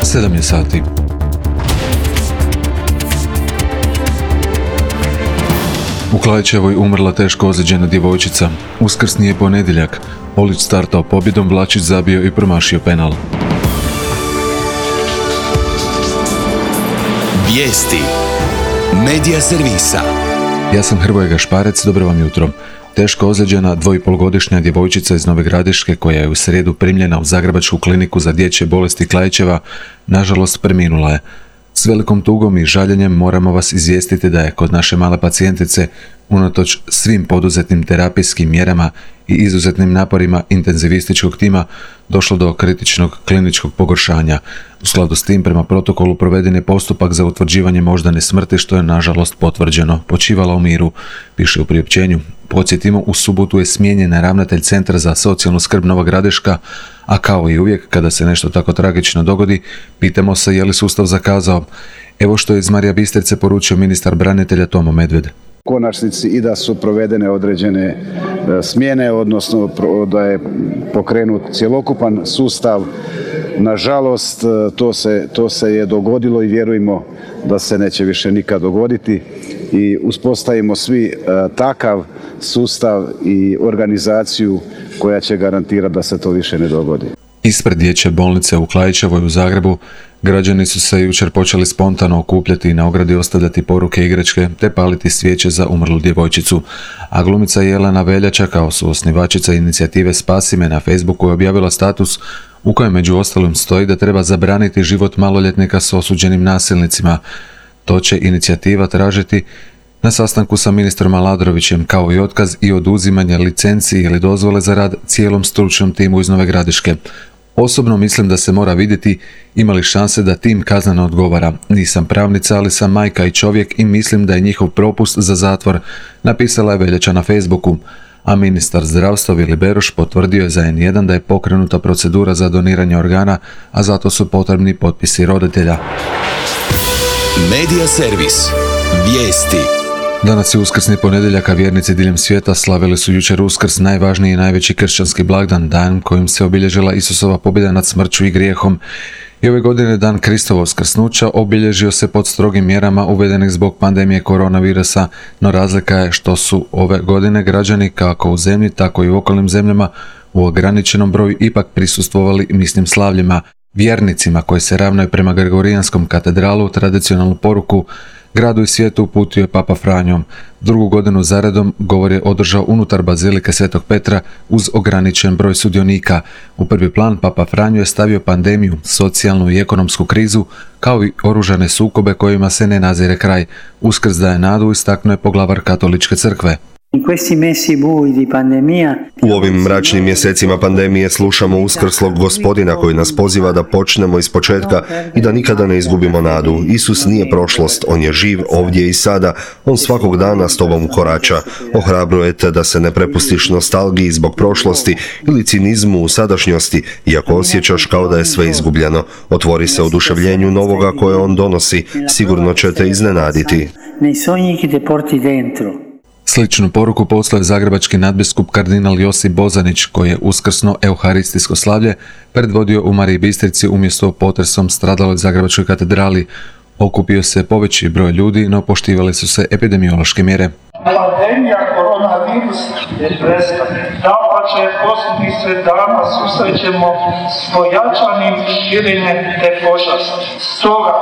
7 je sati. U Klaićevoj umrla teško ozlijeđena djevojčica. Uskrsni je ponedjeljak. Polić startao pobjedom, Vlačić zabio i promašio penal. Vijesti Medija servisa. Ja sam Hrvoje Gašparec, dobro vam jutro. Teško ozlijeđena 2,5-godišnja djevojčica iz Nove Gradiške, koja je u srijedu primljena u Zagrebačku kliniku za dječje bolesti Klaićeva, nažalost preminula je. S velikom tugom i žaljenjem moramo vas izvijestiti da je kod naše male pacijentice, unatoč svim poduzetim terapijskim mjerama i izuzetnim naporima intenzivističkog tima, došlo do kritičnog kliničkog pogoršanja. U skladu s tim, prema protokolu proveden je postupak za utvrđivanje moždane smrti, što je nažalost potvrđeno. Počivala u miru, piše u priopćenju. Podsjetimo, u subotu je smijenjen ravnatelj Centra za socijalnu skrb Nova Gradiška, a kao i uvijek kada se nešto tako tragično dogodi, pitamo se je li sustav zakazao. Evo što je iz Marija Bistrice poručio ministar branitelja Tomo Medved. U konačnici i da su provedene određene smjene, odnosno da je pokrenut cjelokupan sustav. Nažalost, to se je dogodilo i vjerujemo da se neće više nikad dogoditi i uspostavimo svi takav sustav i organizaciju koja će garantirati da se to više ne dogodi. Ispred dječje bolnice u Klaićevoj u Zagrebu građani su se jučer počeli spontano okupljati i na ogradi ostavljati poruke i igračke te paliti svijeće za umrlu djevojčicu. A glumica Jelena Veljača, kao suosnivačica inicijative Spasi me, na Facebooku je objavila status u kojem među ostalim stoji da treba zabraniti život maloljetnika s osuđenim nasilnicima. To će inicijativa tražiti na sastanku sa ministrom Aladrovićem, kao i otkaz i oduzimanje licenci ili dozvole za rad cijelom stručnom timu iz Nove Gradiške. Osobno mislim da se mora vidjeti ima li šanse da tim kazneno odgovara. Nisam pravnica, ali sam majka i čovjek i mislim da je njihov propust za zatvor, napisala je Veljača na Facebooku. A ministar zdravstva Vili Beroš potvrdio je za N1 da je pokrenuta procedura za doniranje organa, a zato su potrebni potpisi roditelja. Medija servis. Vijesti. Danas je uskrsni ponedjeljak, a vjernici diljem svijeta slavili su jučer Uskrs, najvažniji i najveći kršćanski blagdan, dan kojim se obilježila Isusova pobjeda nad smrću i grijehom. I ove godine dan Kristovog uskrsnuća obilježio se pod strogim mjerama uvedenih zbog pandemije koronavirusa, no razlika je što su ove godine građani kako u zemlji, tako i u okolnim zemljama u ograničenom broju ipak prisustvovali misnim slavljima. Vjernicima koji se ravnaju prema Gregorijanskom katedralu tradicionalnu poruku gradu i svijetu uputio je Papa Franjo. Drugu godinu zaredom govor je održao unutar Bazilike Svetog Petra uz ograničen broj sudionika. U prvi plan Papa Franjo je stavio pandemiju, socijalnu i ekonomsku krizu, kao i oružane sukobe kojima se ne nazire kraj. Uskrs daje nadu, istaknuo je poglavar Katoličke crkve. U ovim mračnim mjesecima pandemije slušamo uskrslog Gospodina koji nas poziva da počnemo iz početka i da nikada ne izgubimo nadu. Isus nije prošlost, on je živ ovdje i sada, on svakog dana s tobom korača. Ohrabruje te da se ne prepustiš nostalgiji zbog prošlosti ili cinizmu u sadašnjosti, iako osjećaš kao da je sve izgubljeno. Otvori se oduševljenju novoga koje on donosi, sigurno će te iznenaditi. Sličnu poruku poslao je zagrebački nadbiskup kardinal Josip Bozanić, koji je uskrsno euharistijsko slavlje predvodio u Mariji Bistrici umjesto potresom stradaloj Zagrebačkoj katedrali. Okupio se poveći broj ljudi, no poštivale su se epidemiološke mjere. Pandemija koronavirus je prestane. Dapače, posljednjih 7 dana susrećemo s pojačanim širenjem te pošasti. Stoga,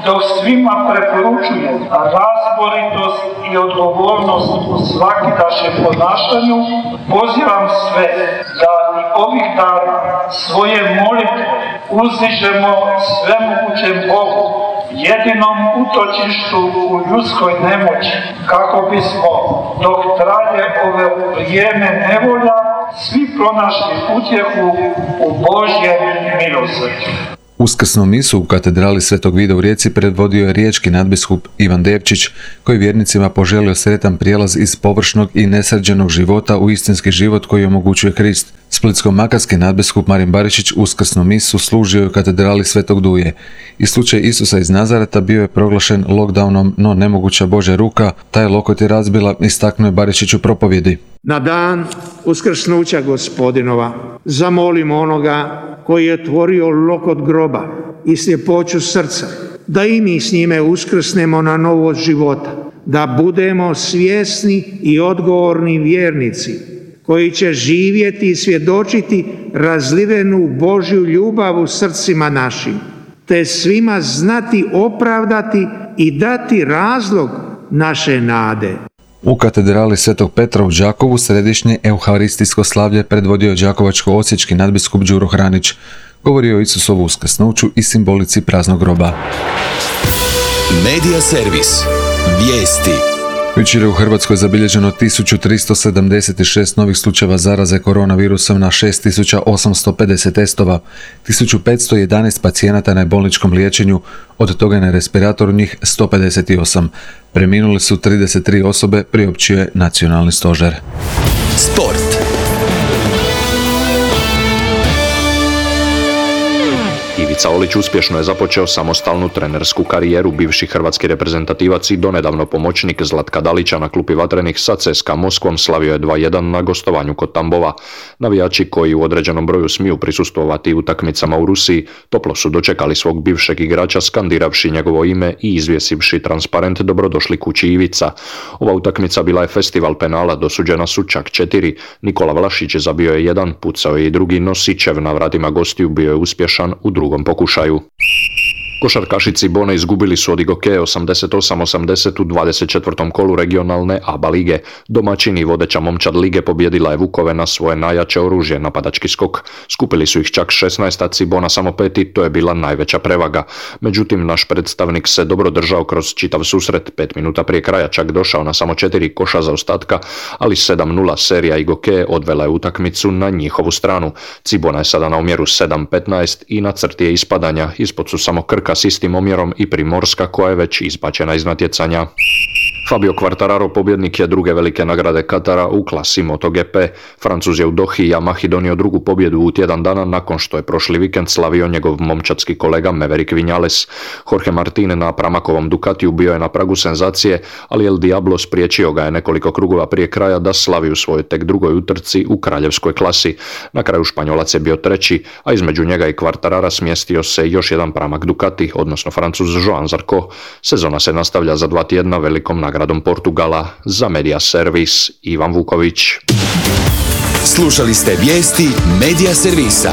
dok svima preporučujem razboritost i odgovornost u svakidašnjem ponašanju, pozivam sve da i ovih dana svoje molitve uzdižemo svemogućem Bogu, jedinom utočištu u ljudskoj nemoći, kako bismo, dok traje ove vrijeme nevolja, svi pronašli utjehu u Božjem milosrđu. Uskrsnu misu u katedrali Svetog Vida u Rijeci predvodio je riječki nadbiskup Ivan Depčić, koji vjernicima poželio sretan prijelaz iz površnog i nesređenog života u istinski život koji omogućuje Krist. Splitsko-makarski nadbiskup Marin Barišić uskrsnu misu služio je u katedrali Svetog Duje. I slučaj Isusa iz Nazareta bio je proglašen lockdownom, no nemoguća Božja ruka taj lokot je razbila, istaknuo je Barišić u propovjedi. Na dan uskrsnuća Gospodinova zamolimo onoga koji je otvorio lokot groba i sljepoću srca, da i mi s njime uskrsnemo na novost života, da budemo svjesni i odgovorni vjernici koji će živjeti i svjedočiti razlivenu Božju ljubav u srcima našim, te svima znati opravdati i dati razlog naše nade. U katedrali Svetog Petra u Đakovu središnje euharistijsko slavlje predvodio je đakovačko-osječki nadbiskup Đuro Hranić. Govorio o Isusovu uskrsnuću i simbolici praznog groba. Medija servis. Vijesti. Jučer je u Hrvatskoj zabilježeno 1376 novih slučajeva zaraze koronavirusom na 6850 testova, 1511 pacijenata na bolničkom liječenju, od toga je na respiratoru njih 158. Preminuli su 33 osobe, priopćio je Nacionalni stožer. Sport. Ivica Olić uspješno je započeo samostalnu trenersku karijeru. Bivši hrvatski reprezentativac i donedavno pomoćnik Zlatka Dalića na klupi Vatrenih sa CSKA Moskvom slavio je 2:1 na gostovanju kod Tambova. Navijači koji u određenom broju smiju prisustvovati utakmicama u Rusiji toplo su dočekali svog bivšeg igrača skandiravši njegovo ime i izvjesivši transparent "Dobrodošli kući Ivica". Ova utakmica bila je festival penala, dosuđena su čak 4. Nikola Vlašić zabio je 1, pucao je i drugi, no Sičev na vratima gostiju bio je uspješan u drugom pokušaju. Košarkašici Bone izgubili su od Igoke 88-80 u 24. kolu regionalne ABA lige. Domaćini vodeća momčad lige pobjedila je Vukove na svoje najjače oružje, napadački skok. Skupili su ih čak 16, a Cibona samo 5 i to je bila najveća prevaga. Međutim, naš predstavnik se dobro držao kroz čitav susret, 5 minuta prije kraja čak došao na samo 4 koša zaostatka, ali 7:0 serija Igoke odvela je utakmicu na njihovu stranu. Cibona je sada na omjeru 7-15 i na crti je ispadanja, ispod su samo Krka s istim omjerom i Primorska koja je već izbačena iz natjecanja. Fabio Quartararo pobjednik je druge velike nagrade Katara u klasi MotoGP. Francuz je u Dohi i Yamahi donio drugu pobjedu u tjedan dana nakon što je prošli vikend slavio njegov momčadski kolega Maverick Vinales. Jorge Martin na pramakovom Ducatiju bio je na pragu senzacije, ali El Diablo spriječio ga je nekoliko krugova prije kraja da slavi u svojoj tek drugoj utrci u kraljevskoj klasi. Na kraju Španjolac je bio treći, a između njega i Quartarara smjestio se još jedan pramak Ducati, odnosno Francuz Joan Zarco. Sezona se nastavlja za 2 tjedna velikom nagradom Portugala. Za Medija servis Ivan Vuković. Slušali ste vijesti Medija servisa.